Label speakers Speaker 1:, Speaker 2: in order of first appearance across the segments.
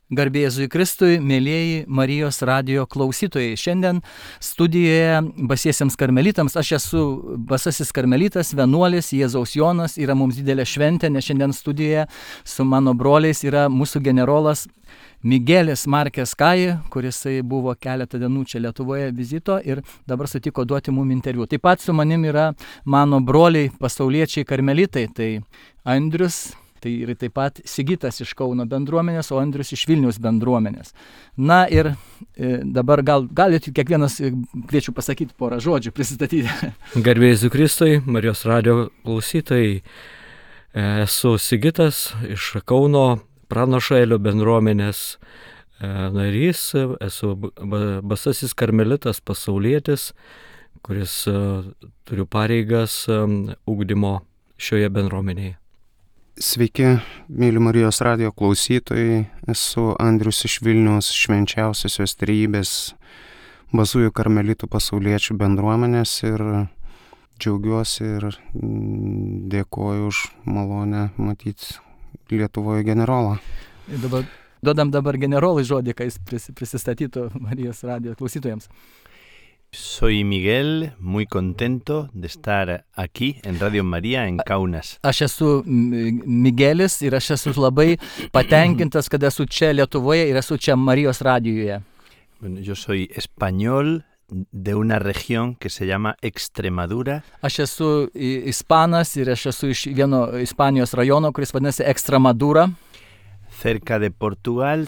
Speaker 1: Garbė Jėzui Kristui, mėlyjeji Marijos radijo klausytojai. Šiandien studijoje Basiesiems karmelitams. Aš esu Basasis karmelitas, vienuolis, Jėzaus Jonas. Yra mums didelė šventė, nes šiandien studijoje su mano broliais yra mūsų generolas Miguelis Markės Kai, kuris buvo keletą dienų čia Lietuvoje vizito ir dabar sutiko duoti mum interviu. Taip pat su manim yra mano broliai pasauliečiai karmelitai, tai Andrius. Tai ir taip pat Sigitas iš Kauno bendruomenės, o Andrius iš Vilniaus bendruomenės. Na ir dabar galite kiekvienas, kviečiu pasakyti porą žodžių, pristatyti.
Speaker 2: Garbė Jėzui Kristui, Marijos radijo klausytojai. Esu Sigitas iš Kauno Pranašo Elio bendruomenės narys. Esu Basasis karmelitas, pasaulietis, kuris turiu pareigas ugdymo šioje bendruomenėje.
Speaker 3: Sveiki, mėly Marijos radijo klausytojai, esu Andrius iš Vilniaus švenčiausiosios trejybės Basųjų karmelitų pasauliečių bendruomenės ir džiaugiuosi ir dėkoju už malonę matyti Lietuvoje generolą.
Speaker 1: Duodam dabar generolui žodį, kai jis prisistatytų Marijos radijo klausytojams.
Speaker 4: Soy Miguel, muy contento de estar aquí en Radio María en Kaunas.
Speaker 1: Aš esu Miguelis ir aš esu labai patenkintas, kad esu čia Lietuvoje ir esu čia Marijos radijoje.
Speaker 4: Bueno, yo soy español de una región que se llama Extremadura.
Speaker 1: Aš esu ispanas ir aš esu iš vieno Ispanijos rajono, kuris vadinasi Extremadura.
Speaker 4: Cerca de Portugal,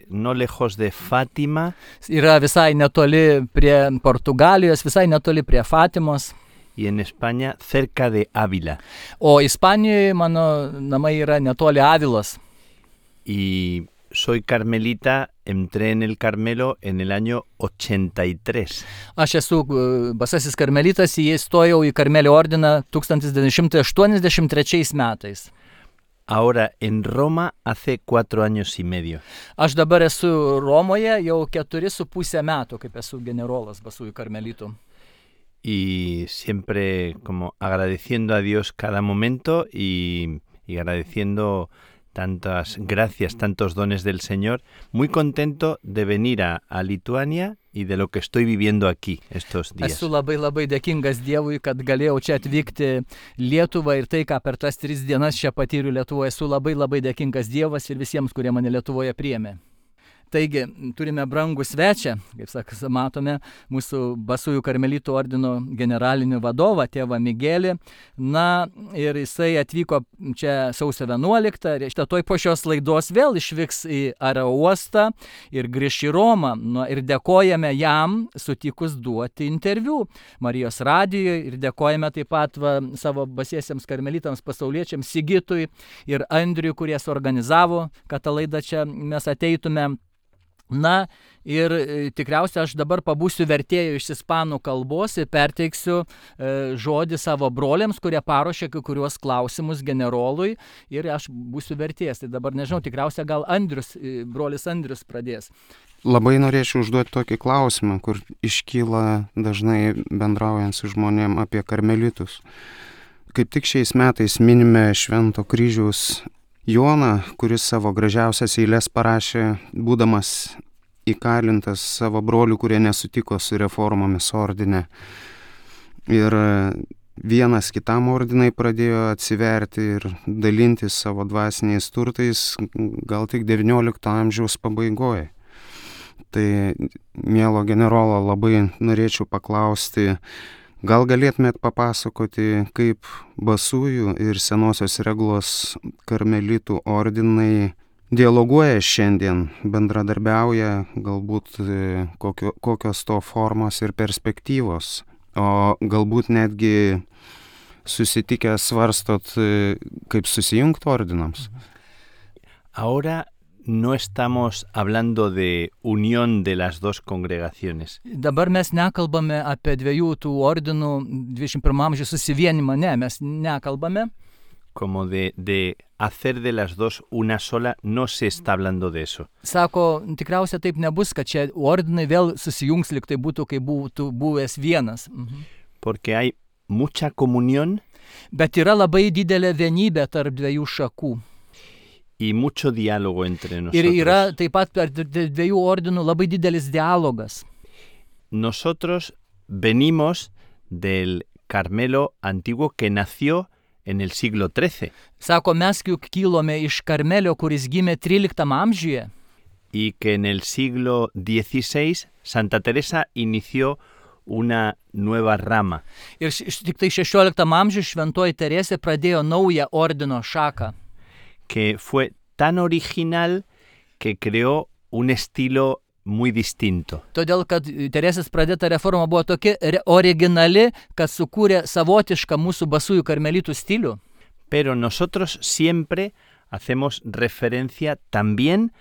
Speaker 4: no lejos de Fátima.
Speaker 1: Yra visai netoli prie Portugalijos, visai netoli prie Fatimos.
Speaker 4: Y en España, cerca de Ávila.
Speaker 1: O Ispanijoje mano namai yra netoli Avilos.
Speaker 4: Y soy carmelita, entré en el Carmelo en el año 83.
Speaker 1: Aš esu Basasis karmelitas, įstojau į Karmelio ordiną 1983 metais.
Speaker 4: Ahora en Roma hace 4 años y medio.
Speaker 1: Aš dabar esu Romoje jau 4,5 metų, kaip esu generolas Basųjų karmelitų.
Speaker 4: Y siempre como agradeciendo a Dios cada momento y agradeciendo tantas gracias, tantos dones del Señor. Muy contento de venir a Lituania y de lo que estoy viviendo aquí estos días.
Speaker 1: Esu labai dėkingas Dievui, kad galėjau čia atvykti Lietuvą ir tai, ką per tas 3 dienas čia patyriu Lietuvoje. Esu labai dėkingas Dievas ir visiems, kurie mane Lietuvoje priėmė. Taigi, turime brangų svečią, kaip matome, mūsų Basųjų karmelitų ordino generalinį vadovą, tėvą Miguelį. Na, ir jisai atvyko čia sausio 11, ir toj po šios laidos vėl išvyks į aerouostą ir grįš į Romą. Ir dėkojame jam sutikus duoti interviu Marijos radijoje ir dėkojame taip pat savo Basiesiems karmelitams pasauliečiams Sigitui ir Andriui, kurie suorganizavo, kad tą laidą čia mes ateitume. Na ir tikriausiai aš dabar pabūsiu vertėju iš ispanų kalbos ir perteiksiu žodį savo broliams, kurie paruošė kai kuriuos klausimus generolui ir aš būsiu vertėjas. Tai dabar nežinau, tikriausiai gal brolis Andrius pradės.
Speaker 3: Labai norėčiau užduoti tokį klausimą, kur iškyla dažnai bendraujant su žmonėm apie karmelitus. Kaip tik šiais metais minime Švento kryžiaus Joną, kuris savo gražiausias eiles parašė, būdamas įkalintas savo brolių, kurie nesutiko su reformomis ordine. Ir vienas kitam ordinai pradėjo atsiverti ir dalintis savo dvasiniais turtais gal tik XIX amžiaus pabaigoje. Tai, mielo generolo, labai norėčiau paklausti, gal galėtumėt papasakoti, kaip Basųjų ir Senosios Regulos karmelitų ordinai dialoguoja šiandien, bendradarbiauja, galbūt kokios to formos ir perspektyvos, o galbūt netgi susitikę svarstot, kaip susijungti ordinams.
Speaker 4: Ahora no estamos hablando de unión de las dos congregaciones.
Speaker 1: Dabar mes nekalbame apie dviejų tų ordinų 21 amžiaus susivienimą, mes nekalbame.
Speaker 4: Como de hacer de las dos una sola, no se está hablando de eso.
Speaker 1: Sako, tikriausiai taip nebus, kad čia ordinai vėl susijungs, lyg tai būtų, kai būtų buvęs vienas.
Speaker 4: Porque hay mucha comunión.
Speaker 1: Bet yra labai didelė vienybė tarp dviejų šakų.
Speaker 4: y mucho diálogo entre
Speaker 1: Ir
Speaker 4: nosotros.
Speaker 1: yra taip pat per dviejų ordinų labai didelis dialogas.
Speaker 4: Nosotros venimos del Carmelo antiguo que nació en el siglo XIII
Speaker 1: Sako, mes juk kilome iš Karmelio, kuris gimė 13 amžiuje.
Speaker 4: y que en el siglo XVI Santa Teresa inició una nueva rama.
Speaker 1: Ir tik tai 16 amžiuje šventoji Teresė pradėjo naują ordino šaką,
Speaker 4: Que fue tan original que creó un estilo muy distinto.
Speaker 1: todėl kad Teresės pradėta reforma buvo tokia originali, kad sukūrė savotišką mūsų basųjų karmelitų stilių.
Speaker 4: Pero nosotros siempre hacemos referencia también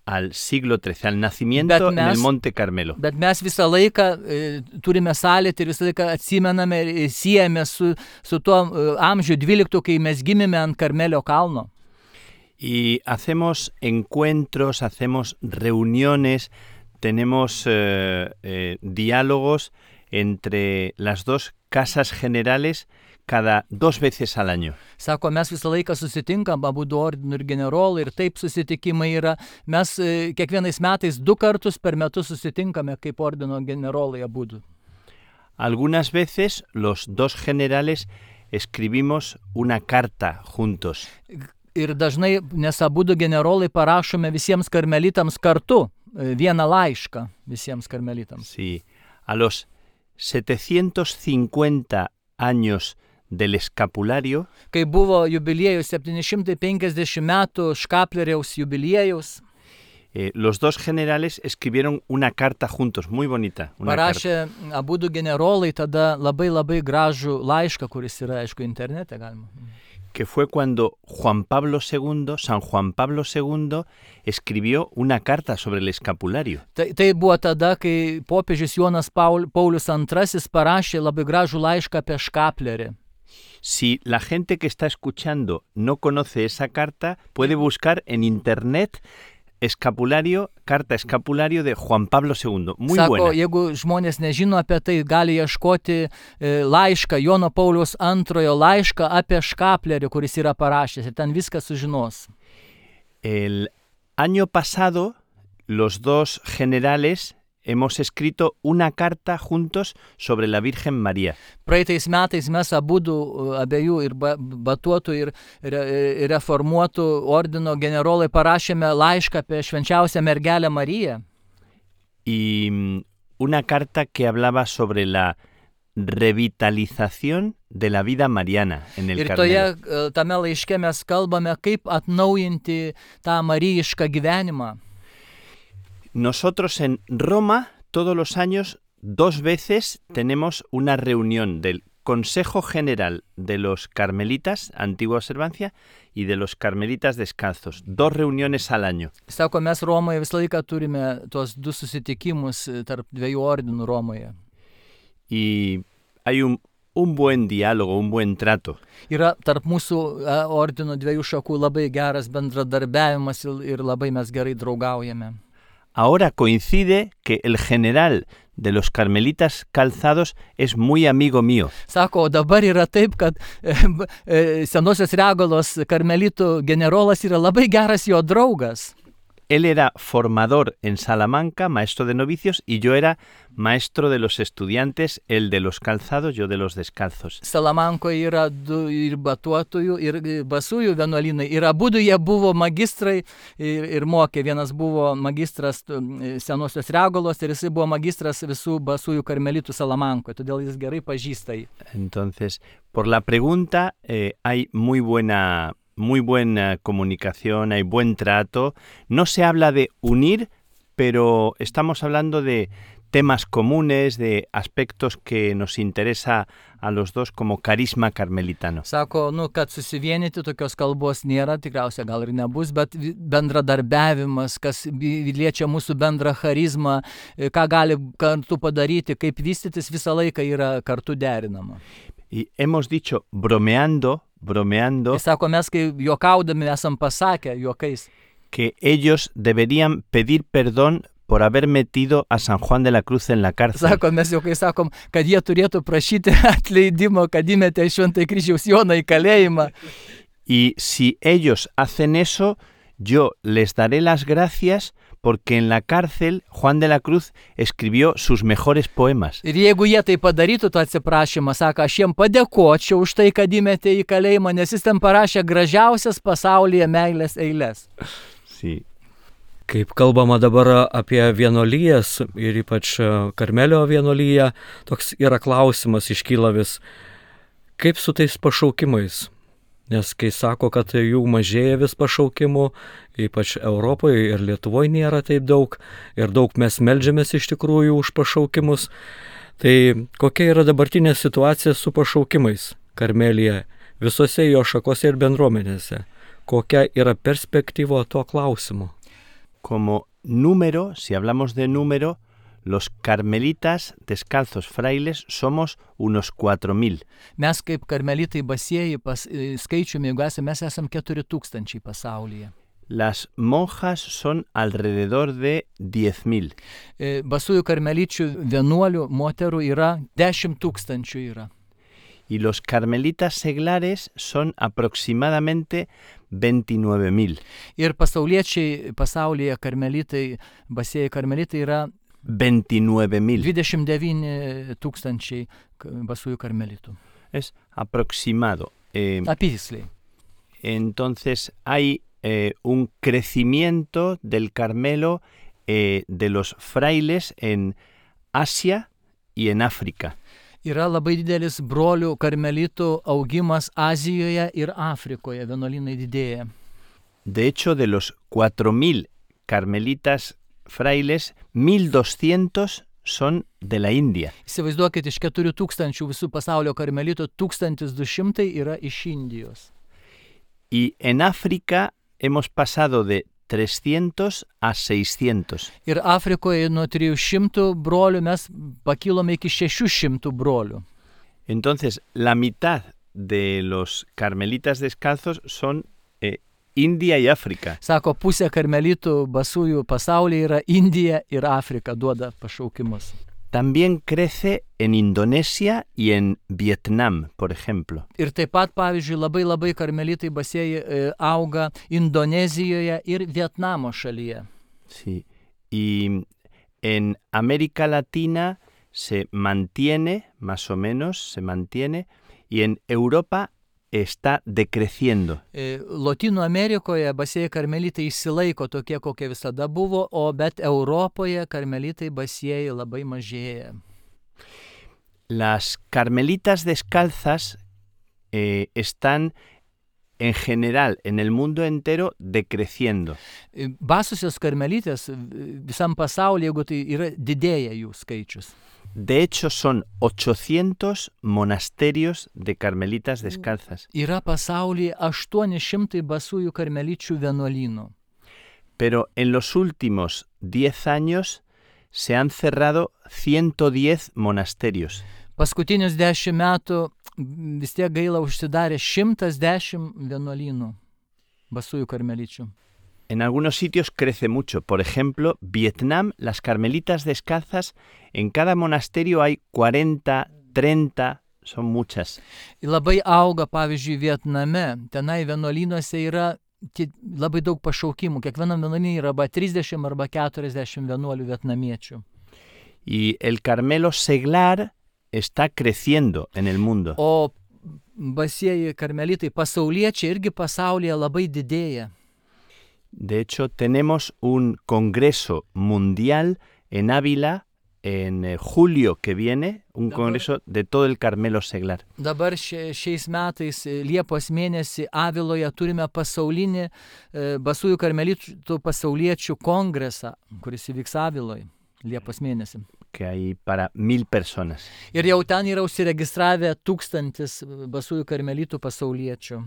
Speaker 4: al siglo XIII, al nacimiento en el Monte Carmelo.
Speaker 1: Bet mes visą laiką turime sąlytį ir visą laiką atsimename ir siejame su tuo amžiu 12, kai mes gimėme ant Karmelio kalno.
Speaker 4: Y hacemos encuentros, hacemos reuniones, tenemos diálogos entre las dos casas generales cada 2 veces al año.
Speaker 1: Sako, mes visą laiką susitinkam, abudu ordinų ir generolai, ir taip susitikimai yra. Mes kiekvienais metais 2 kartus per metus susitinkame kaip ordino generolai abudu.
Speaker 4: Algunas veces los 2 generales escribimos una carta juntos.
Speaker 1: Ir dažnai, nes abudu generolai parašome visiems karmelitams kartu vieną laišką visiems karmelitams.
Speaker 4: Sí, a los 750 años del escapulario,
Speaker 1: Kai buvo jubiliejus 750 metų Škapleriaus jubiliejaus,
Speaker 4: los 2 generales escribieron una carta juntos, muy bonita. Una
Speaker 1: parašė abudu generolai tada labai gražų laišką, kuris yra, aišku, internete galima.
Speaker 4: Que fue cuando San Juan Pablo II, escribió una carta sobre el escapulario.
Speaker 1: Tai buvo tada, kai popiežius Jonas Paulius II parašė labai gražų laišką apie Škaplerį.
Speaker 4: Si la gente que está escuchando no conoce esa carta, puede buscar en internet carta escapulario de Juan Pablo II. Muy
Speaker 1: Sako,
Speaker 4: buena.
Speaker 1: jeigu žmonės nežino apie tai, gali ieškoti laišką, Jono Pauliaus II laišką apie Škaplerį, kuris yra parašęs, ir ten viską sužinos.
Speaker 4: El año pasado, los 2 generales hemos escrito una carta juntos sobre la Virgen María.
Speaker 1: Praeitais metais mes abiejų ir batuotų ir reformuotų ordino generolai parašėme laišką apie švenčiausią mergelę Mariją.
Speaker 4: Y una carta que hablaba sobre la revitalización de la vida mariana en el
Speaker 1: Ir
Speaker 4: Carmelo.
Speaker 1: tame laiške mes kalbame, kaip atnaujinti tą marijišką gyvenimą.
Speaker 4: Nosotros en Roma todos los años 2 veces tenemos una reunión del Consejo General de los Carmelitas, Antigua Observancia, y de los Carmelitas Descalzos. 2 reuniones al año.
Speaker 1: Sako, mes Romoje visą laiką turime tuos 2 susitikimus tarp 2 ordinų Romoje.
Speaker 4: Y hay un buen diálogo, un buen trato.
Speaker 1: Yra tarp mūsų ordinų 2 šakų labai geras bendradarbiavimas ir labai mes gerai draugaujame.
Speaker 4: Ahora coincide que el general de los Carmelitas Calzados es muy amigo mío.
Speaker 1: Sako, dabar yra taip, kad Senosios Regalos karmelitų generolas yra labai geras jo draugas.
Speaker 4: Él era formador en Salamanca, maestro de novicios, y yo era maestro de los estudiantes, él de los calzados, yo de los descalzos.
Speaker 1: Salamankoje yra 2 ir batuotojų, ir basųjų vienuolynai. Ir abudu jie buvo magistrai ir mokė. Vienas buvo magistras Senosios Regalos ir jisai buvo magistras visų basųjų karmelitų Salamankoje. Todėl jis gerai pažįsta jį.
Speaker 4: Entonces, por la pregunta, hay muy buena comunicación, hay buen trato. No se habla de unir, pero estamos hablando de temas comunes, de aspectos que nos interesa a los 2 como carisma carmelitano.
Speaker 1: Sako, kad susivienyti tokios kalbos nėra, tikriausiai gal ir nebus, bet bendradarbiavimas, kas liečia mūsų bendrą charizmą, ką gali kartu padaryti, kaip vystytis, visą laiką yra kartu derinama.
Speaker 4: Y hemos dicho, bromeando,
Speaker 1: Sako, mes kai juokaudami esam pasakę juokais,
Speaker 4: que ellos deberían pedir perdón por haber metido a San Juan de la Cruz en la cárcel.
Speaker 1: Sako, mes juokais sakom, kad jie turėtų prašyti atleidimo, kad įmetė Šventąjį Kryžiaus Joną į kalėjimą.
Speaker 4: Y si ellos hacen eso, yo les daré las gracias porque en la cárcel Juan de la Cruz escribió sus mejores poemas.
Speaker 1: Ir jeigu jie tai padarytų, tą atsiprašymą, sako, aš jiem padėkočiau už tai, kad įmetė į kalėjimą, nes jis ten parašė gražiausias pasaulyje meilės eiles.
Speaker 4: Sí.
Speaker 2: Kaip kalbama dabar apie vienuolijas ir ypač Karmelio vienuolyje, toks yra klausimas iškyla vis, kaip su tais pašaukimais? Nes kai sako, kad jų mažėja vis pašaukimų, ypač Europoje ir Lietuvoje nėra taip daug, ir daug mes meldžiamės iš tikrųjų už pašaukimus, tai kokia yra dabartinė situacija su pašaukimais Karmelyje, visose jo šakose ir bendruomenėse? Kokia yra perspektyva tuo klausimu?
Speaker 4: Como número, si hablamos de número, los carmelitas descalzos frailes somos unos 4,000.
Speaker 1: Mes kaip karmelitai basieji skaičiumi, jeigu esame, mes esam 4,000 pasaulyje.
Speaker 4: Las monjas son alrededor de 10,000.
Speaker 1: Basųjų karmeličių vienuolių moterų yra 10,000 yra.
Speaker 4: Y los carmelitas seglares son aproximadamente 29,000.
Speaker 1: Ir pasauliečiai pasaulyje karmelitai, basieji karmelitai yra
Speaker 4: 29,000.
Speaker 1: 29,000 basųjų karmelitų.
Speaker 4: Es aproximado.
Speaker 1: Apysliai.
Speaker 4: Entonces hay un crecimiento del Carmelo de los frailes en Asia y en África.
Speaker 1: Yra labai didelis brolių karmelitų augimas Azijoje ir Afrikoje, vienuolynai didėja.
Speaker 4: De hecho, de los 4,000 carmelitas frailes, 1,200 son de la India.
Speaker 1: Įsivaizduokit, iš 4,000 visų pasaulio karmelitų 1,200 yra iš Indijos.
Speaker 4: Y en África hemos pasado de 300 a 600.
Speaker 1: Ir Afrikoje nuo 300 brolių mes pakilome iki 600 brolių.
Speaker 4: Entonces, la mitad de los carmelitas descalzos son India y África.
Speaker 1: Sako, pusė karmelitų basųjų pasaulyje yra Indija ir Afrika, duoda pašaukimus.
Speaker 4: También crece en Indonesia y en Vietnam, por ejemplo.
Speaker 1: Ir taip pat, pavyzdžiui, labai karmelitai basieji auga Indonezijoje ir Vietnamo šalyje.
Speaker 4: Sí. Y en América Latina se mantiene, más o menos, se mantiene, y en Europa está decreciendo.
Speaker 1: Lotynų Amerikoje basieji karmelitai išsilaiko tokie, kokie visada buvo, bet Europoje karmelitai basieji labai mažėja.
Speaker 4: Las carmelitas descalzas están en general en el mundo entero decreciendo.
Speaker 1: Basosios karmelitės visam pasaulyje, jeigu tai yra, didėja jų skaičius.
Speaker 4: De hecho, son 800 monasterios de carmelitas descalzas.
Speaker 1: Yra pasaulyje 800 basųjų karmeličių vienuolynų.
Speaker 4: Pero en los últimos 10 años se han cerrado 110 monasterios.
Speaker 1: Paskutinius 10 metų vis tiek gaila užsidarė 110 vienuolynų basųjų karmeličių.
Speaker 4: En algunos sitios crece mucho. Por ejemplo, Vietnam, las carmelitas descalzas, en cada monasterio hay 40, 30, son muchas.
Speaker 1: Labai auga, pavyzdžiui, Vietname. Tenai vienuolynuose yra labai daug pašaukimų. Kiekvienam vienuolyne yra arba 30 arba 40 vienuolių vietnamiečių.
Speaker 4: Y el Carmelo seglar está creciendo en el mundo.
Speaker 1: O basieji karmelitai pasauliečiai irgi pasaulyje labai didėja.
Speaker 4: De hecho, tenemos un congreso mundial en Ávila en julio que viene, un congreso de todo el Carmelo seglar.
Speaker 1: Dabar šiais metais Liepos mėnesį Aviloje turime pasaulinį basųjų karmelitų pasauliečių kongresą, kuris įvyks Aviloje Liepos mėnesį.
Speaker 4: Que hay para 1,000 personas.
Speaker 1: Ir jau ten yra užsiregistravę 1000 basųjų karmelitų pasauliečių.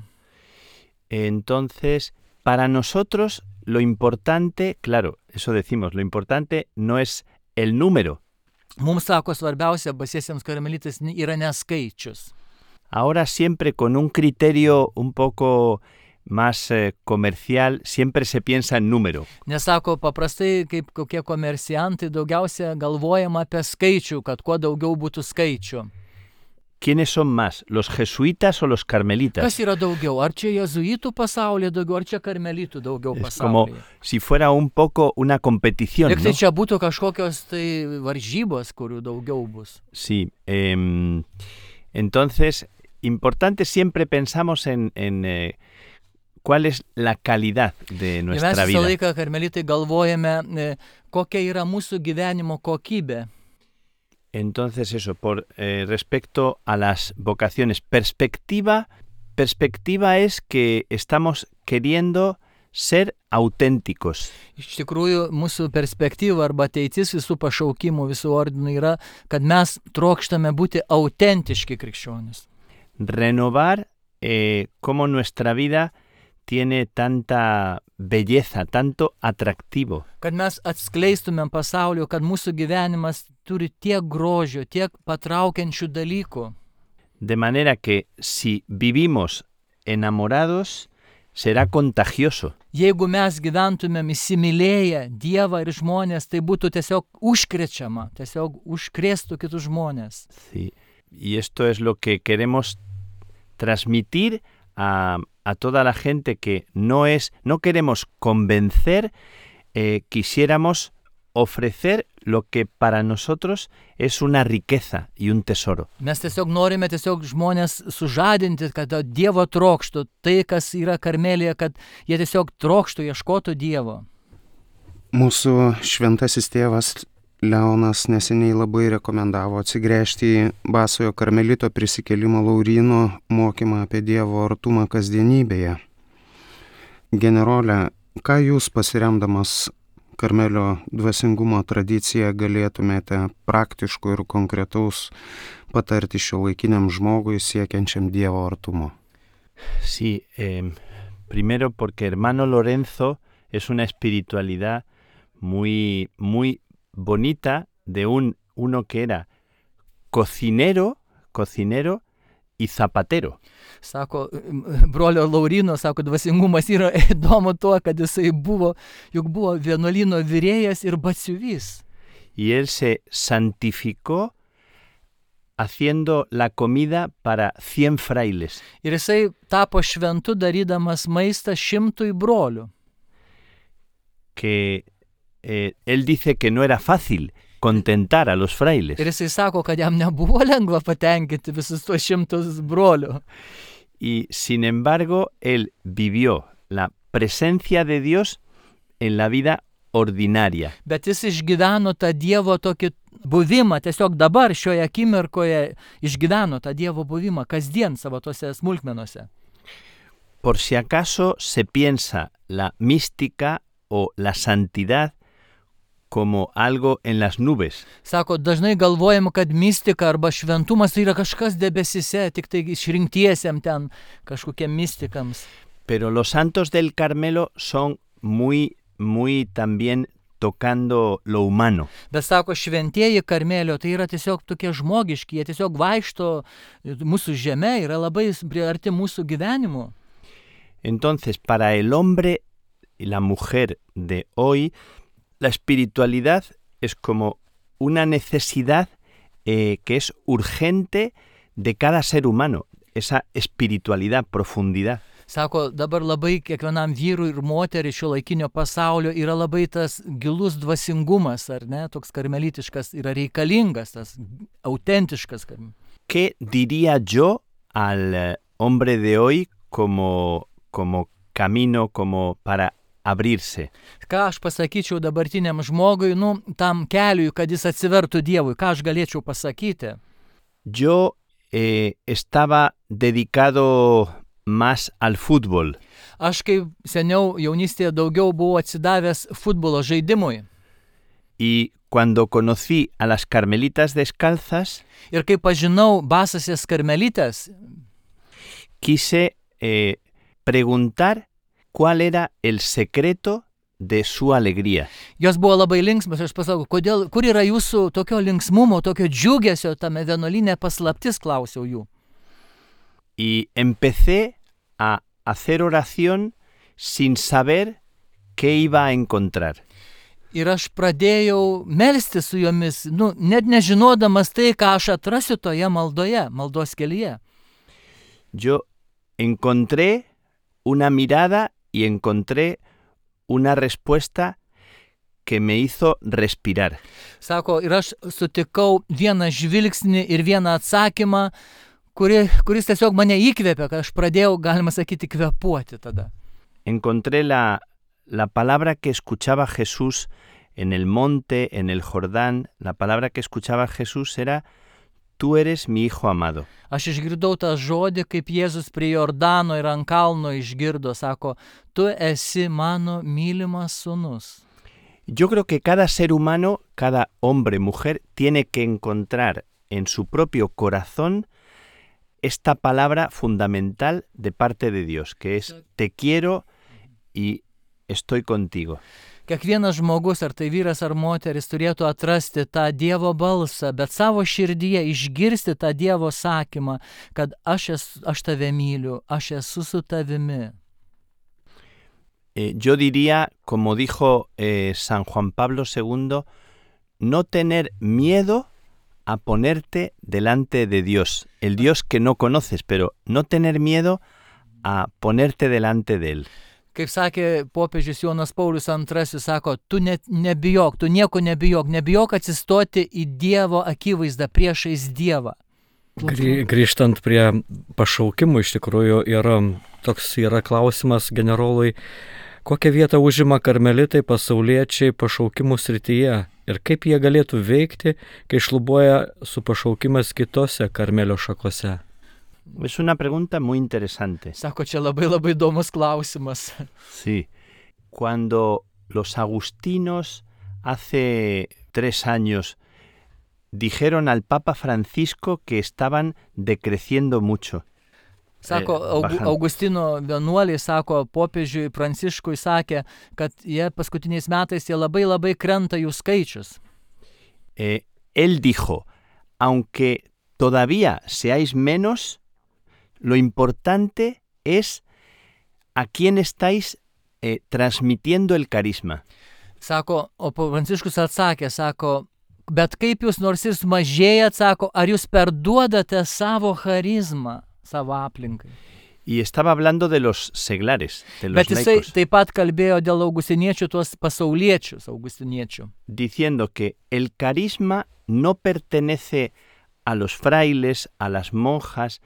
Speaker 4: Entonces, para nosotros lo importante, claro, eso decimos, lo importante no es el número.
Speaker 1: Mums sako, svarbiausia basiesiems karmelitais yra neskaičius.
Speaker 4: Ahora siempre con un criterio un poco más comercial, siempre se piensa en número.
Speaker 1: Nes sako, paprastai kaip kokie komerciantai daugiausia galvojama apie skaičių, kad kuo daugiau būtų skaičių.
Speaker 4: ¿quiénes son más, los jesuitas o los carmelitas?
Speaker 1: Kas yra daugiau? Ar čia jezuitų pasaulyje daugiau, ar čia karmelitų daugiau
Speaker 4: Es como
Speaker 1: pasaulyje?
Speaker 4: si fuera un poco una competición,
Speaker 1: Lyg tai
Speaker 4: ¿no?
Speaker 1: čia būtų kažkokios tai varžybos, kurių daugiau bus.
Speaker 4: Sí. Entonces, importante siempre pensamos en cuál es la calidad de
Speaker 1: Ir mes
Speaker 4: nuestra
Speaker 1: visą
Speaker 4: vida.
Speaker 1: laiką karmelitai galvojame, kokia yra mūsų gyvenimo kokybė.
Speaker 4: Entonces eso, por respecto a las vocaciones, perspectiva es que estamos queriendo ser auténticos.
Speaker 1: Iš tikrųjų, mūsų perspektyva arba ateitis visų pašaukimų, visų ordinų yra, kad mes trokštame būti autentiški krikščionys.
Speaker 4: Renovar cómo nuestra vida tiene tanta belleza, tanto atractivo.
Speaker 1: Kad mes atskleistumėm pasaulio, kad mūsų gyvenimas turi tiek grožio, tiek patraukiančių dalykų.
Speaker 4: De manera que si vivimos enamorados, será contagioso.
Speaker 1: Jeigu mes gyventumėm įsimylėję Dievą ir žmonės, tai būtų tiesiog užkrečiama, tiesiog užkrėstų kitus žmonės.
Speaker 4: Sí. Y esto es lo que queremos transmitir a toda la gente, que no queremos convencer, quisiéramos ofrecer lo que para nosotros es una riqueza y un tesoro.
Speaker 1: Mes tiesiog norime žmonės sužadinti, kad Dievo trokštų, tai kas yra Karmelėje, kad jie tiesiog trokštų, ieškotų Dievo.
Speaker 3: Mūsų šventasis tėvas Leonas neseniai labai rekomendavo atsigręžti į Basojo karmelito prisikėlimo Lauryno mokymą apie Dievo artumą kasdienybėje. Generole, ką jūs pasiremdamas Karmelio dvasingumo tradiciją galėtumėte praktiškų ir konkretaus patarti šiuolaikiniam žmogui siekiančiam Dievo artumo?
Speaker 4: Sí, primero porque hermano Lorenzo es una espiritualidad muy, muy bonita de uno que era cocinero y zapatero.
Speaker 1: Sako, brolio Lauryno, sako, dvasingumas yra įdomu tuo, kad jisai buvo vienuolyno virėjas ir batsiuvys.
Speaker 4: Y él se santificó haciendo la comida para 100 frailes.
Speaker 1: Ir jisai tapo šventu darydamas maistą 100 brolių.
Speaker 4: Que él dice que no era fácil contentar a los frailes.
Speaker 1: Ir jisai sako, kad jam nebuvo lengva patenkinti visus tuos 100 brolių.
Speaker 4: Y sin embargo, él vivió la presencia de Dios en la vida ordinaria.
Speaker 1: Bet jis išgyveno tą Dievo tokį buvimą, tiesiog dabar šioje akimirkoje išgyveno tą Dievo buvimą kasdien savo tose smulkmenose.
Speaker 4: Por si acaso se piensa la mística o la santidad como algo en las nubes.
Speaker 1: Sako, dažnai galvojam, kad mistika arba šventumas tai yra kažkas debesise, tik tai išrinktiesiem ten kažkokiem mistikams.
Speaker 4: Pero los santos del Carmelo son muy también tocando lo humano.
Speaker 1: Bet sako, šventieji Karmelio tai yra tiesiog tokie žmogiški, jie tiesiog vaikšto mūsų žeme, yra labai arti mūsų gyvenimo.
Speaker 4: Entonces, para el hombre y la mujer de hoy, la espiritualidad es como una necesidad que es urgente de cada ser humano, esa espiritualidad, profundidad.
Speaker 1: Sako, dabar labai kiekvienam vyrui ir moteriai šiuolaikinio pasaulio yra labai tas gilus dvasingumas, ar ne, toks karmelitiškas, yra reikalingas, tas autentiškas.
Speaker 4: ¿Qué diría yo al hombre de hoy como camino, como para abrirse?
Speaker 1: Ką aš pasakyčiau dabartiniam žmogui, tam keliui, kad jis atsivertų Dievui, ką aš galėčiau pasakyti?
Speaker 4: Yo estaba dedicado más al fútbol.
Speaker 1: Aš kaip seniau jaunystėje daugiau buvau atsidavęs futbolo žaidimui.
Speaker 4: Y cuando conocí a las carmelitas descalzas,
Speaker 1: ir kai pažinau basasias karmelites,
Speaker 4: quise preguntar cuál era el secreto de su alegría.
Speaker 1: Jos buvo labai linksmas, aš pasakau, kur yra jūsų tokio linksmumo, tokio džiugesio tame vienuolyne paslaptis, klausiau jų.
Speaker 4: Y empecé a hacer oración sin saber qué iba a encontrar.
Speaker 1: Ir aš pradėjau melsti su jomis, net nežinodamas tai, ką aš atrasiu toje maldos kelyje.
Speaker 4: Yo encontré una mirada y encontré una respuesta que me hizo respirar.
Speaker 1: Sako, ir aš sutikau vieną žvilgsnį ir vieną atsakymą, kuris tiesiog mane įkvėpė, kad aš pradėjau, galima sakyti, kvėpuoti tada.
Speaker 4: Encontré la palabra que escuchaba Jesús en el monte, en el Jordán. La palabra que escuchaba Jesús era: tú eres mi hijo amado.
Speaker 1: Aš išgirdau tą žodį, kaip Jėzus prie Jordano ir ant kalno išgirdo, sako, tu esi mano mylimas sūnus.
Speaker 4: Yo creo que cada ser humano, cada hombre, mujer, tiene que encontrar en su propio corazón esta palabra fundamental de parte de Dios, que es: te quiero y estoy contigo.
Speaker 1: Kiekvienas žmogus, ar tai vyras ar moteris, turėtų atrasti tą Dievo balsą, bet savo širdyje išgirsti tą Dievo sakymą, kad aš tave myliu, aš esu su tavimi.
Speaker 4: Yo diría, como dijo San Juan Pablo II, no tener miedo a ponerte delante de Dios, el Dios que no conoces, pero no tener miedo a ponerte delante de Él.
Speaker 1: Kaip sakė popiežius Jonas Paulius II, sako, tu nebijok, tu nieko nebijok atsistoti į Dievo akivaizdą priešais Dievą.
Speaker 2: Grįžtant prie pašaukimų, iš tikrųjų yra klausimas generolui, kokią vietą užima karmelitai pasauliečiai pašaukimų srityje ir kaip jie galėtų veikti, kai šlubuoja su pašaukimas kitose karmelio šakose.
Speaker 4: Es una pregunta muy interesante.
Speaker 1: Sako, čia labai įdomus klausimas.
Speaker 4: Sí. Cuando los agustinos hace 3 años dijeron al Papa Francisco que estaban decreciendo mucho.
Speaker 1: Sako, Augustino vienuoliai, sako, popiežiui Pranciškui sakė, kad jie paskutiniais metais jie labai krenta jų skaičius.
Speaker 4: Él dijo, aunque todavía seáis menos, lo importante es a quién estáis transmitiendo el carisma.
Speaker 1: Sako, o Pranciškus atsakė, sako, bet kaip jūs nors ir mažėjat, sako, ar jūs perduodate savo charizmą savo aplinkai.
Speaker 4: Y estaba hablando de los seglares, de los
Speaker 1: laicos. Bet jisai taip pat kalbėjo dėl augustiniečių, tuos pasauliečius augustiniečių.
Speaker 4: Diciendo que el carisma no pertenece a los frailes, a las monjas,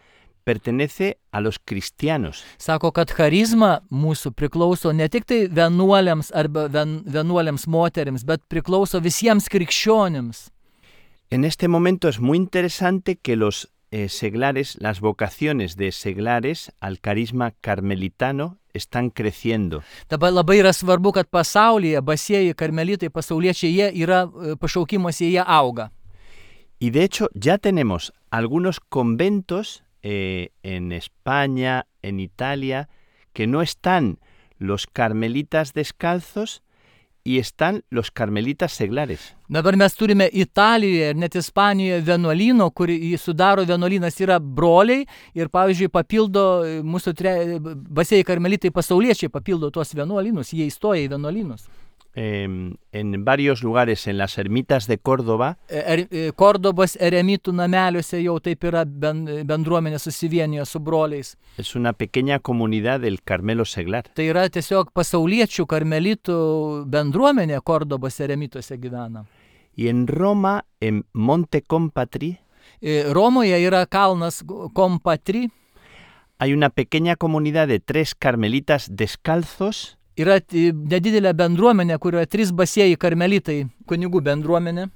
Speaker 4: pertenece a los cristianos.
Speaker 1: Sako, kad charizma mūsų priklauso ne tik tai vienuoliams arba vienuoliams moterims, bet priklauso visiems krikščionims.
Speaker 4: En este momento es muy interesante que los seglares, las vocaciones de seglares al carisma carmelitano están creciendo.
Speaker 1: Dabar labai yra svarbu, kad pasaulyje basieji karmelitai, pasauliečiai, jie yra pašaukimuose, jie auga.
Speaker 4: Y de hecho ya tenemos algunos conventos en España, en Italia, que no están los carmelitas descalzos y están los carmelitas seglares.
Speaker 1: Dabar mes turime Italijoje ir net Ispanijoje vienuolyno, kurį sudaro vienuolynas yra broliai ir, pavyzdžiui, papildo mūsų basieji karmelitai pasauliečiai papildo tuos vienuolynus, jie įstoja į vienuolynus.
Speaker 4: En varios lugares, en las ermitas de Córdoba.
Speaker 1: Kordobos eremitų nameliuose jau taip yra bendruomenė susivienijo su broliais.
Speaker 4: Es una pequeña comunidad del Carmelo seglar.
Speaker 1: Tai yra tiesiog pasauliečių karmelitų bendruomenė Kordobos eremituose gyvena.
Speaker 4: Y en Roma, en Monte Compatri.
Speaker 1: Romoje yra kalnas Compatri.
Speaker 4: Hay una pequeña comunidad de 3 carmelitas descalzos.
Speaker 1: Yra nedidelė bendruomenė, kurioje 3 basieji karmelitai, kunigų bendruomenė.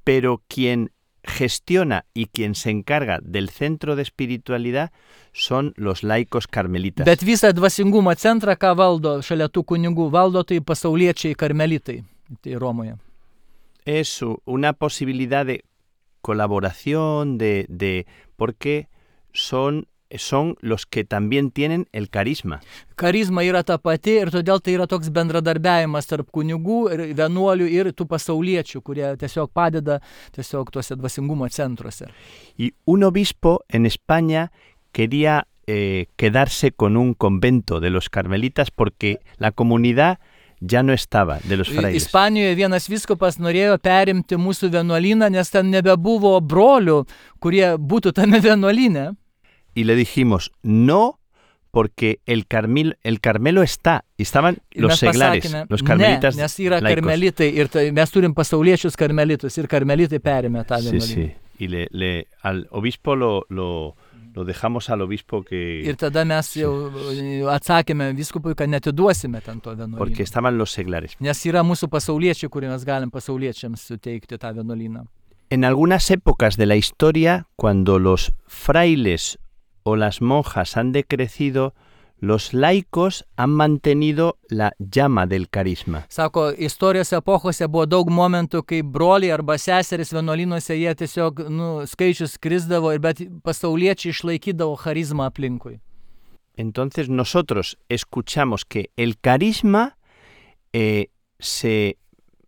Speaker 4: Pero quien gestiona y quien se encarga del centro de espiritualidad son los laicos carmelitas.
Speaker 1: Bet visą dvasingumo centrą, ką valdo šalia tų kunigų, valdo tai pasauliečiai karmelitai, tai Romoje.
Speaker 4: Es una posibilidad de colaboración, porque son los que también tienen el carisma.
Speaker 1: Karizma yra ta pati ir todėl tai yra toks bendradarbiavimas tarp kunigų ir vienuolių ir tų pasauliečių, kurie tiesiog padeda tiesiog tuose dvasingumo centruose.
Speaker 4: Y un obispo en España quería quedarse con un convento de los carmelitas porque la comunidad ya no estaba, de los frailes.
Speaker 1: Ispanijoje vienas vyskupas norėjo perimti mūsų vienuolyną, nes ten nebebuvo brolių, kurie būtų tame vienuolyne.
Speaker 4: Y le dijimos, no, porque el Carmelo está, y estaban los seglares, los carmelitas
Speaker 1: ne, nes yra
Speaker 4: laicos.
Speaker 1: karmelitai ir mes turim pasauliečius karmelitus ir karmelitai perėmė tą
Speaker 4: Sí,
Speaker 1: vienuolyną.
Speaker 4: sí. Y al obispo lo dejamos al obispo que...
Speaker 1: Ir tada mes jau atsakėme vyskupui, kad netiduosime ten to
Speaker 4: Porque
Speaker 1: vienuolyno.
Speaker 4: estaban los seglares.
Speaker 1: Nes yra mūsų pasauliečiai, kurį mes galim pasauliečiams suteikti tą vienuolyną.
Speaker 4: En algunas épocas de la historia, cuando los frailes o las monjas han decrecido, los laicos han mantenido la llama del carisma.
Speaker 1: Sako, istorijos epochose buvo daug momentų, kai broliai arba seserys vienuolynuose jie tiesiog skaičius krisdavo, bet pasauliečiai išlaikydavo charizmą aplinkui.
Speaker 4: Entonces nosotros escuchamos que el carisma se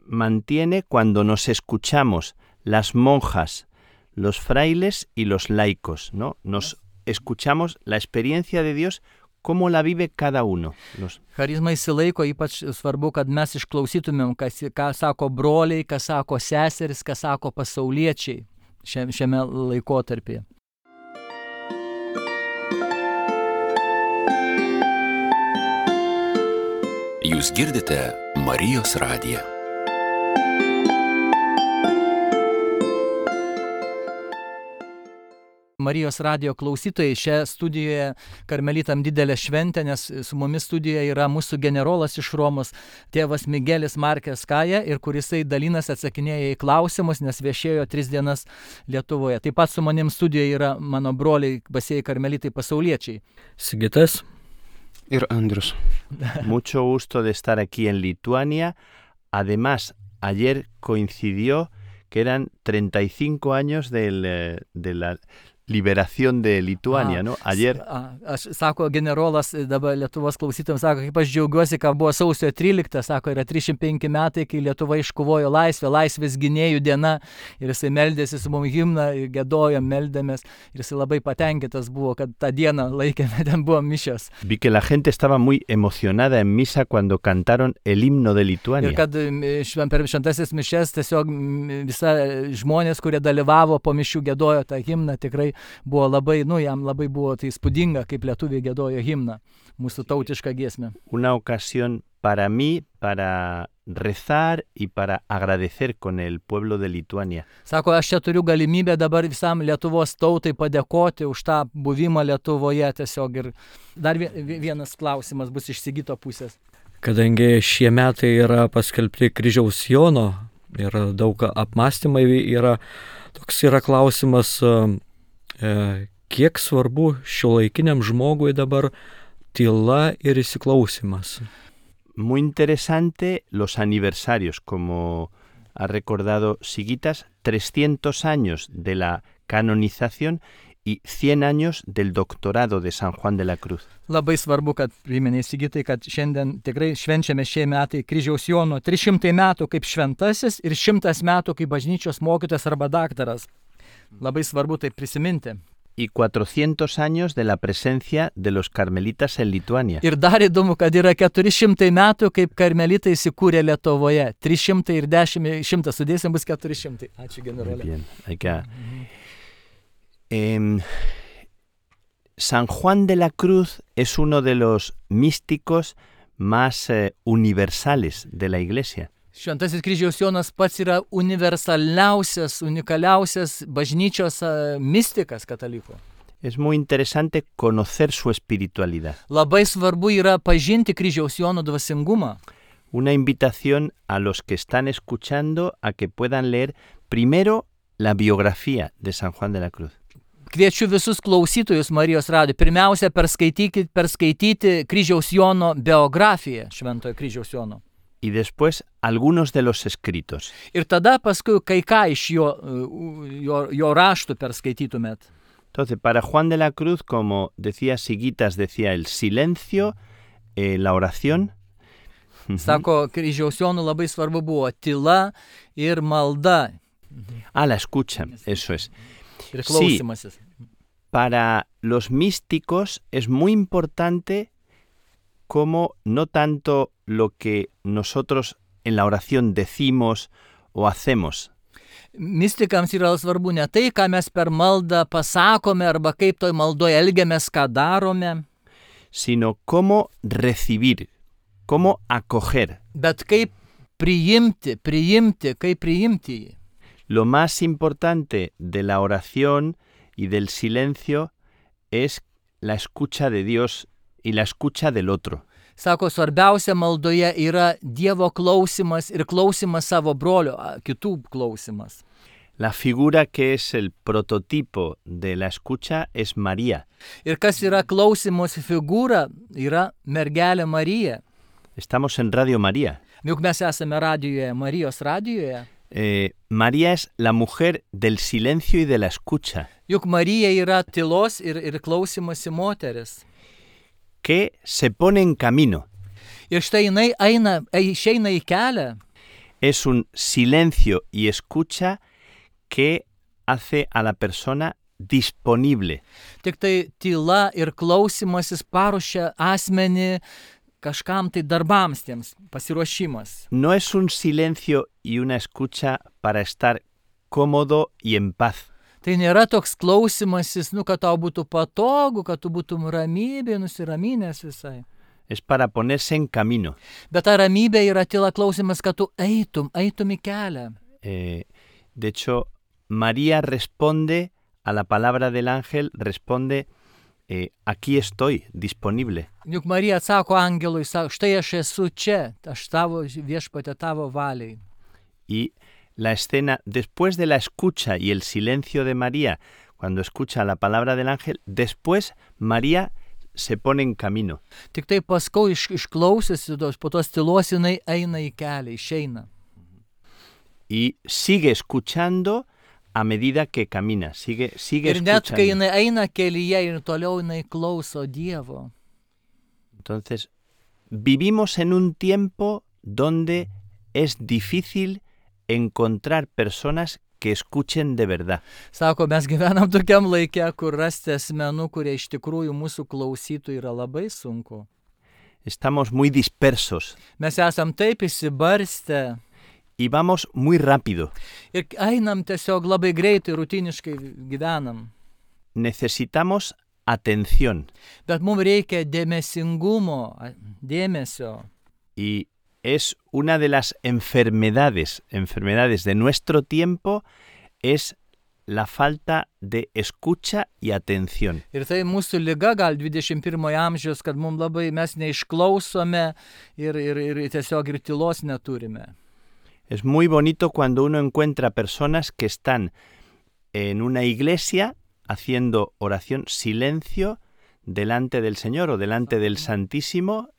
Speaker 4: mantiene cuando nos escuchamos las monjas, los frailes y los laicos, ¿no? Nos escuchamos la experiencia de Dios, cómo la vive cada uno.
Speaker 1: Charizma įsilaiko, ypač svarbu, kad mes išklausytumėm, ką sako broliai, ką sako seseris, ką sako pasauliečiai šiame laikotarpyje.
Speaker 5: Jūs girdite Marijos radiją.
Speaker 1: Marijos radijo klausytojai, šią studijoje karmelitam didelė šventė, nes su mumis studijoje yra mūsų generolas iš Romos, tėvas Migelis Markės Kaja, ir kurisai dalinasi atsakinėja į klausimus, nes viešėjo 3 dienas Lietuvoje. Taip pat su manim studijoje yra mano broliai basieji karmelitai pasauliečiai.
Speaker 2: Sigitas.
Speaker 3: Ir Andrius.
Speaker 4: Mucho gusto de estar aquí en Lituania. Además, ayer coincidió que eran 35 años de la liberación de Lituania, ¿no? Ayer.
Speaker 1: Sako generolas dabar Lietuvos klausytojams, sako, kaip aš džiaugiuosi, kad buvo sausio 13, sako, yra 305 metai, kai Lietuva iškovojo laisvę, laisvės gynėjų diena, ir jisai meldėsi su mums himną, gėdojom, meldėmės, ir jisai labai patenkintas buvo, kad tą dieną laikėme, ten buvo mišios.
Speaker 4: Vi que la gente estaba muy emocionada en misa cuando cantaron el himno de Lituania.
Speaker 1: Ir kad per šventasis mišias tiesiog visa žmonės, kurie dalyvavo po mišių, gėdojo tą himną, tikrai buvo labai, jam labai buvo tai įspūdinga, kaip lietuviai gėdojo himną, mūsų tautišką giesmę.
Speaker 4: Una ocasión para mí, para rezar y para agradecer con el pueblo de Lituania.
Speaker 1: Sako, aš čia turiu galimybę dabar visam Lietuvos tautai padėkoti už tą buvimą Lietuvoje tiesiog. Ir dar vienas klausimas bus iš Sigito pusės.
Speaker 2: Kadangi šie metai yra paskelbti kryžiaus Jono ir daug apmąstymai yra, toks yra klausimas, kiek svarbu šiuolaikiniam žmogui dabar tyla ir įsiklausimas.
Speaker 4: Muy interesante los aniversarios, como ha recordado Sigitas, 300 años de la canonización y 100 años del doctorado de San Juan de la Cruz.
Speaker 1: Labai svarbu, kad priminė Sigitai, kad šiandien tikrai švenčiame šie metai kryžiaus Jono 300 metų kaip šventasis ir 100 metų kaip bažnyčios mokytojas arba daktaras. Labai svarbu tai prisiminti.
Speaker 4: Y 400 años de la presencia de los carmelitas en Lituania.
Speaker 1: Ir dar įdomu, kad yra 400 metų, kaip karmelitai įsikūrė Lietuvoje. 300 ir 10, 100 sudėsim bus 400. Ačiū, generolė.
Speaker 4: Bien, San Juan de la Cruz es uno de los místicos más universales de la Iglesia.
Speaker 1: Šventasis kryžiaus Jonas pats yra universaliausias, unikaliausias bažnyčios mistikas katalikų.
Speaker 4: Es muy interesante conocer su espiritualidad.
Speaker 1: Labai svarbu yra pažinti kryžiaus Jono dvasingumą.
Speaker 4: Una invitación a los que están escuchando a que puedan leer primero la biografía de San Juan de la Cruz.
Speaker 1: Kviečiu visus klausytojus Marijos radijo pirmiausia perskaityti kryžiaus Jono biografiją, šventojo kryžiaus Jono.
Speaker 4: Y después algunos de los escritos.
Speaker 1: Ir tada paskui kai ką iš jo raštų perskaitytumėt.
Speaker 4: Entonces, para Juan de la Cruz, como decía Sigitas, decía el silencio, la oración.
Speaker 1: Sako, kryžiaus Jono labai svarbu buvo tyla ir malda.
Speaker 4: La escucha, eso es.
Speaker 1: Ir klausimasis.
Speaker 4: Para los místicos es muy importante cómo no tanto lo que nosotros en la oración decimos o hacemos,
Speaker 1: Mistikams yra svarbu ne tai, ką mes per maldą pasakome arba kaip toj maldoje elgiamės, ką darome,
Speaker 4: sino cómo recibir, cómo acoger.
Speaker 1: bet kaip priimti, kaip priimti jį.
Speaker 4: Lo más importante de la oración y del silencio es la escucha de Dios y la escucha del otro.
Speaker 1: Sako, svarbiausia maldoje yra Dievo klausimas ir klausimas savo brolio, kitų klausimas.
Speaker 4: La figura que es el prototipo de la escucha es María.
Speaker 1: Ir kas yra klausimosi figūra, yra mergelė Marija.
Speaker 4: Estamos en Radio María.
Speaker 1: Juk mes esame radijoje, Marijos radijoje.
Speaker 4: María es la mujer del silencio y de la escucha,
Speaker 1: Juk Marija yra tylos ir klausimosi moteris.
Speaker 4: que se pone en camino.
Speaker 1: Ir štai jinai išeina į kelią.
Speaker 4: Es un silencio y escucha que hace a la persona disponible.
Speaker 1: Tik tai tyla ir klausimasis paruošia asmenį kažkam tai darbams tiems, pasiruošimas.
Speaker 4: No es un silencio y una escucha para estar cómodo y en paz.
Speaker 1: Tai nėra toks klausimasis, kad tau būtų patogu, kad tu būtum ramybė, nusiraminęs visai.
Speaker 4: Es para ponerse en camino.
Speaker 1: Bet ta ramybė yra tyla klausimas, kad tu eitum į kelią.
Speaker 4: De hecho, María responde a la palabra del ángel, responde, aquí estoy, disponible.
Speaker 1: Juk Marija atsako angelui, sako, štai aš esu čia, aš tavo viešpatie tavo valiai.
Speaker 4: Y la escena, después de la escucha y el silencio de María, cuando escucha la palabra del ángel, después María se pone en camino.
Speaker 1: Tik tai paskui išklausiusi, po tos tylos jinai eina į kelią, išeina.
Speaker 4: Y sigue escuchando a medida que camina, sigue
Speaker 1: Ir net
Speaker 4: escuchando.
Speaker 1: kai jinai eina kelyje ir toliau jinai klauso Dievo.
Speaker 4: Entonces, vivimos en un tiempo donde es difícil encontrar personas que escuchen de verdad.
Speaker 1: Sako, mes gyvenam tokiam laike, kur rasti asmenų, kurie iš tikrųjų mūsų klausytų, yra labai sunku.
Speaker 4: Estamos muy dispersos
Speaker 1: Mes esam taip įsibarstę
Speaker 4: y vamos muy rápido.
Speaker 1: ir einam tiesiog labai greitai, rutiniškai gyvenam.
Speaker 4: Necesitamos atención
Speaker 1: Bet mums reikia dėmesingumo, dėmesio.
Speaker 4: y es una de las enfermedades de nuestro tiempo, es la falta de escucha y atención.
Speaker 1: Ir tai mūsų liga gal 21 amžiaus, kad mums labai mes neišklausome ir tiesiog ir tylos neturime.
Speaker 4: Es muy bonito cuando uno encuentra personas que están en una iglesia haciendo oración, silencio delante del Señor o delante del Santísimo,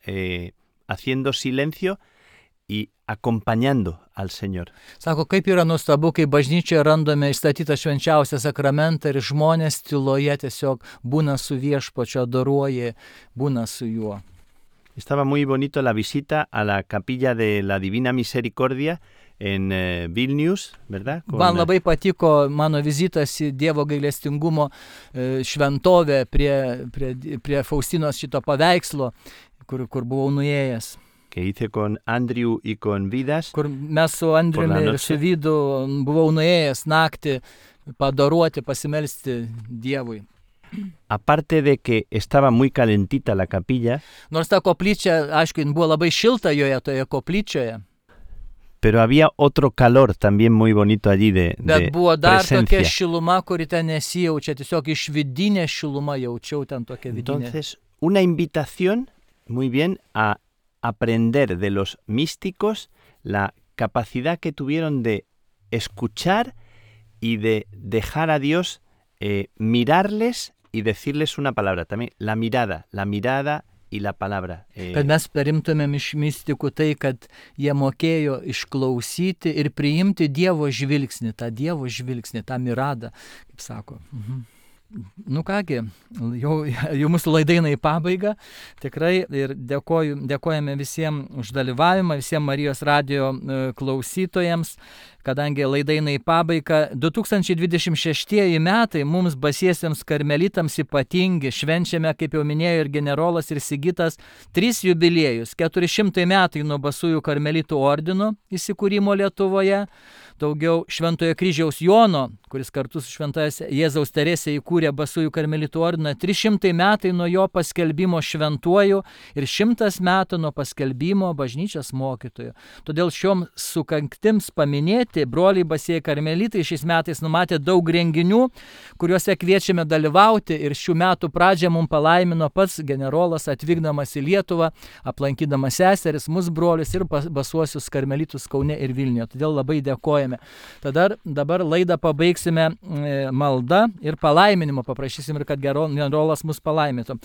Speaker 4: haciendo silencio y acompañando al Señor.
Speaker 1: Sako, kaip yra nuostabu, kai bažnyčioje randame įstatytą švenčiausią sakramentą ir žmonės tyloje tiesiog būna su viešpačiu, adoruoja, būna su juo.
Speaker 4: Estaba muy bonito la visita a la capilla de la Divina Misericordia en Vilnius, ¿verdad?
Speaker 1: Man labai patiko mano vizitas į Dievo gailestingumo šventovę prie Faustinos šito paveikslo, kur buvau nuėjęs.
Speaker 4: Que hice con Andrew y con Vidas.
Speaker 1: Kur mes su Andriumi ir su Vydu buvau nuėjęs naktį padaruoti, pasimelsti Dievui.
Speaker 4: Aparte de que estaba muy calentita la capilla,
Speaker 1: Nors ta koplyčia, aišku, buvo labai šilta joje, toje koplyčioje,
Speaker 4: pero había otro calor también muy bonito allí de
Speaker 1: bet buvo dar tokia
Speaker 4: presencia.
Speaker 1: šiluma, kuri ten nesijaučia, tiesiog iš vidinė šiluma jaučiau ten tokia vidinė.
Speaker 4: Entonces, una invitación muy bien a aprender de los místicos la capacidad que tuvieron de escuchar y de dejar a Dios mirarles y decirles una palabra. También la mirada y la palabra.
Speaker 1: Kad mes perimtumėm iš mistikų tai, kad jie mokėjo išklausyti ir priimti Dievo žvilgsnį, tą miradą, kaip sako. Nu kągi, jau mūsų laida eina į pabaigą. Tikrai ir dėkojame visiems už dalyvavimą, visiems Marijos radijo klausytojams, kadangi laida eina į pabaigą. 2026 metai mums basiesiems karmelitams ypatingi. Švenčiame, kaip jau minėjo ir generolas, ir Sigitas, 3 jubiliejus. 400 metai nuo Basųjų karmelitų ordino įsikūrimo Lietuvoje. Daugiau Šventojo kryžiaus Jono, kuris kartu su Šventaja Jėzaus Teresė įkūrė Basųjų karmelitų ordiną, 300 metai nuo jo paskelbimo šventuoju ir 100 metų nuo paskelbimo bažnyčios mokytoju. Todėl šiom sukaktims paminėti broliai Basieji karmelitai šiais metais numatė daug renginių, kuriuose kviečiame dalyvauti, ir šių metų pradžią mums palaimino pats generolas atvykdamas į Lietuvą, aplankydamas seseris, mus brolius ir Basuosius karmelitus Kaune ir Vilniuje. Todėl labai dėkojame. Dabar laidą pabaigsime malda ir palaiminimo. Paprašysim ir kad generolas mus palaimintų.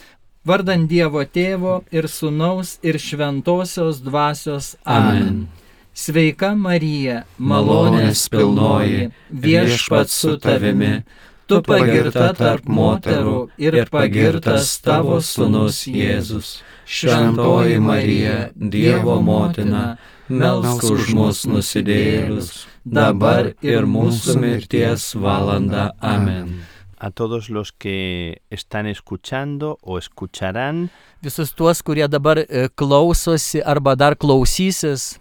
Speaker 1: Vardant Dievo Tėvo ir Sūnaus ir Šventosios Dvasios. Amen. Sveika Marija, malonės pilnoji, Viešpats su tavimi, tu pagirta tarp moterų ir pagirtas tavo Sūnus Jėzus. Šventoji Marija, Dievo motina, melsk už mus nusidėjėlius, dabar ir mūsų mirties valanda. Amen.
Speaker 4: A todos los que están escuchando o escucharán,
Speaker 1: visus tuos, kurie dabar klausosi arba dar klausysis,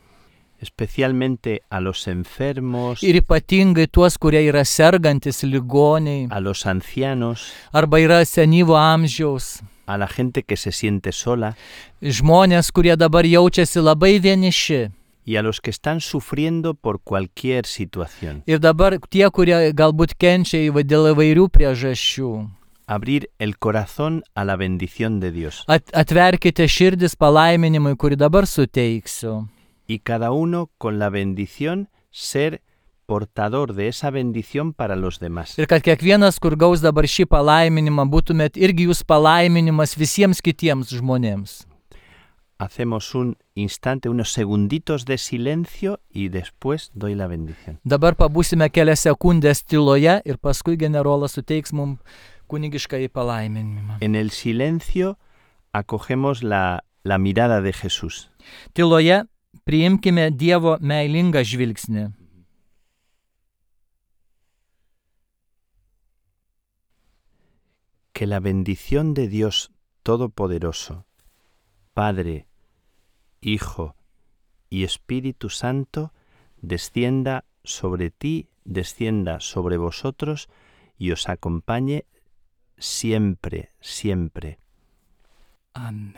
Speaker 4: especialmente a los enfermos,
Speaker 1: ir ypatingai tuos, kurie yra sergantis ligoniai,
Speaker 4: a los ancianos,
Speaker 1: arba yra senyvo amžiaus,
Speaker 4: a la gente que se siente sola,
Speaker 1: žmonės, kurie dabar jaučiasi labai vieniši,
Speaker 4: y a los que están sufriendo por cualquier situación.
Speaker 1: Ir dabar tie, kurie galbūt kenčia dėl įvairių priežasčių.
Speaker 4: Abrir el corazón a la bendición de Dios.
Speaker 1: Atverkite širdis palaiminimui, kurį dabar suteiksiu.
Speaker 4: Y cada uno con la bendición ser portador de esa bendición para los demás.
Speaker 1: Ir kad kiekvienas, kur gaus dabar šį palaiminimą, būtumėt irgi jūs palaiminimas visiems kitiems žmonėms.
Speaker 4: Hacemos un instante, unos segunditos de silencio y después doy la bendición.
Speaker 1: Dabar pabūsime kelias sekundės tyloje ir paskui generolas suteiks mums kunigiškąjį palaiminimą.
Speaker 4: En el silencio acogemos la mirada de Jesús.
Speaker 1: Tyloje priimkime Dievo meilingą žvilgsnį.
Speaker 4: Que la bendición de Dios Todopoderoso, Padre, Hijo y Espíritu Santo, descienda sobre ti, descienda sobre vosotros y os acompañe siempre, siempre.
Speaker 1: Amen.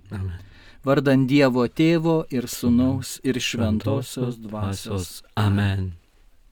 Speaker 1: Amen. Vardant Dievo Tėvo ir Sūnaus ir Šventosios Dvasios.
Speaker 2: Amen.